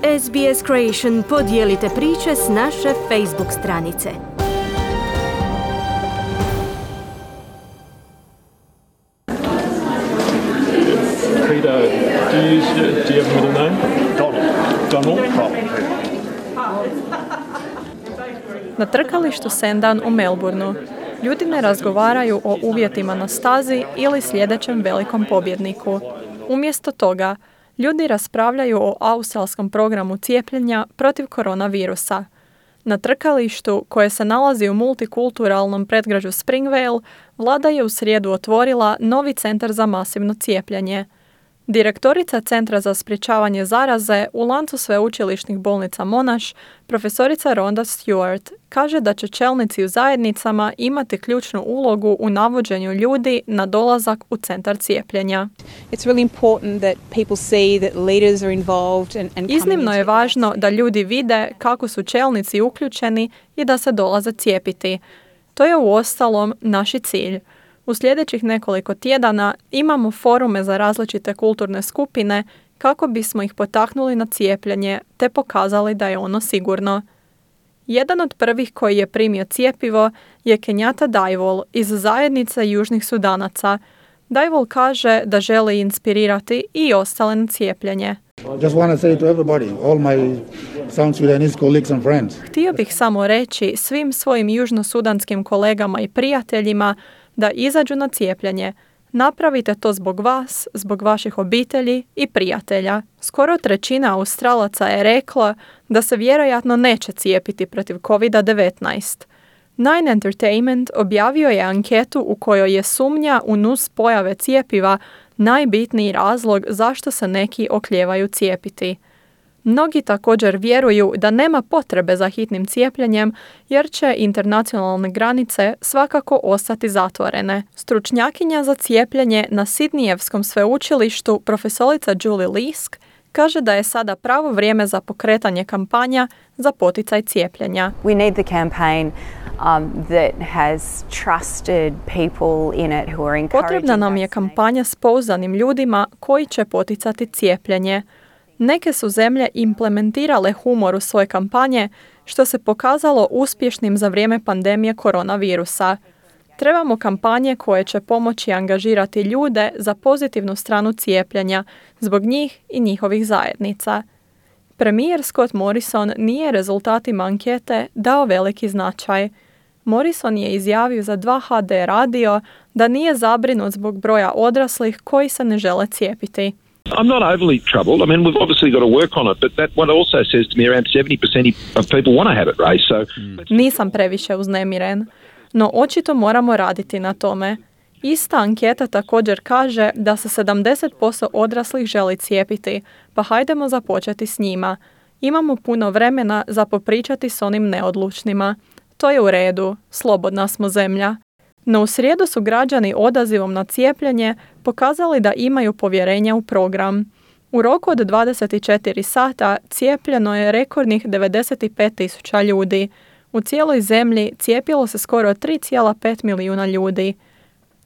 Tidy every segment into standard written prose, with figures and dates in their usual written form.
SBS Creation podijelite priče s naše Facebook stranice. Peter, do you have a middle name? Donald. Na trkalištu Sandown u Melbourneu ljudi ne razgovaraju o uvjetima na stazi ili sljedećem velikom pobjedniku. Umjesto toga, ljudi raspravljaju o australskom programu cijepljenja protiv koronavirusa. Na trkalištu, koje se nalazi u multikulturalnom predgrađu Springvale, vlada je u srijedu otvorila novi centar za masivno cijepljenje. Direktorica Centra za sprječavanje zaraze u lancu sveučilišnih bolnica Monash, profesorica Rhonda Stewart, kaže da će čelnici u zajednicama imati ključnu ulogu u navođenju ljudi na dolazak u centar cijepljenja. Iznimno je važno da ljudi vide kako su čelnici uključeni i da se dolaze cijepiti. To je uostalom naš cilj. U sljedećih nekoliko tjedana imamo forume za različite kulturne skupine kako bismo ih potaknuli na cijepljenje te pokazali da je ono sigurno. Jedan od prvih koji je primio cjepivo je Kenyatta Daiwol iz zajednice Južnih Sudanaca. Daiwol kaže da želi inspirirati i ostale na cijepljenje. Htio bih samo reći svim svojim južnosudanskim kolegama i prijateljima da izađu na cijepljenje. Napravite to zbog vas, zbog vaših obitelji i prijatelja. Skoro 1/3 Australaca je rekla da se vjerojatno neće cijepiti protiv COVID-19. Nine Entertainment objavio je anketu u kojoj je sumnja u nus pojave cijepiva najbitniji razlog zašto se neki oklijevaju cijepiti. Mnogi također vjeruju da nema potrebe za hitnim cijepljenjem jer će internacionalne granice svakako ostati zatvorene. Stručnjakinja za cijepljenje na Sidnijevskom sveučilištu, profesorica Julie Lisk, kaže da je sada pravo vrijeme za pokretanje kampanja za poticaj cijepljenja. We need the campaign that has trusted people in it who are encouraging. Potrebna nam je kampanja s pouzdanim ljudima koji će poticati cijepljenje. Neke su zemlje implementirale humor u svoje kampanje, što se pokazalo uspješnim za vrijeme pandemije koronavirusa. Trebamo kampanje koje će pomoći angažirati ljude za pozitivnu stranu cijepljenja, zbog njih i njihovih zajednica. Premijer Scott Morrison nije rezultatima ankete dao veliki značaj. Morrison je izjavio za 2HD radio da nije zabrinut zbog broja odraslih koji se ne žele cijepiti. I'm not overly troubled. I mean, we've obviously got to work on it, but what it also says to me, around 70% of people want to have it raised. So Nisam previše uznemiren, no očito moramo raditi na tome. Ista anketa također kaže da se 70% odraslih želi cijepiti, pa hajdemo započeti s njima. Imamo puno vremena za popričati s onim neodlučnima. To je u redu, slobodna smo zemlja. No u srijedu su građani odazivom na cijepljenje pokazali da imaju povjerenja u program. U roku od 24 sata cijepljeno je rekordnih 95.000 ljudi. U cijeloj zemlji cijepilo se skoro 3,5 milijuna ljudi.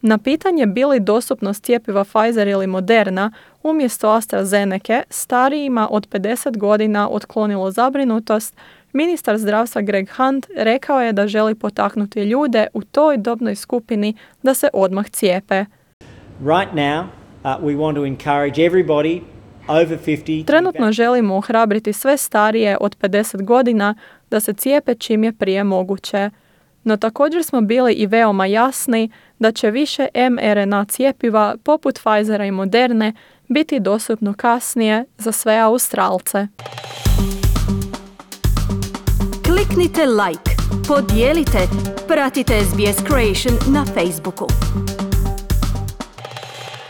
Na pitanje bi li dostupnost cjepiva Pfizer ili Moderna umjesto AstraZeneca starijima od 50 godina otklonilo zabrinutost, ministar zdravstva Greg Hunt rekao je da želi potaknuti ljude u toj dobnoj skupini da se odmah cijepe. Right now, we want to encourage everybody over 50. Trenutno želimo ohrabriti sve starije od 50 godina da se cijepe čim je prije moguće. No također smo bili i veoma jasni da će više mRNA cijepiva poput Pfizera i Moderne biti dostupno kasnije za sve Australce. Kliknite like, podijelite, pratite SBS Creation na Facebooku.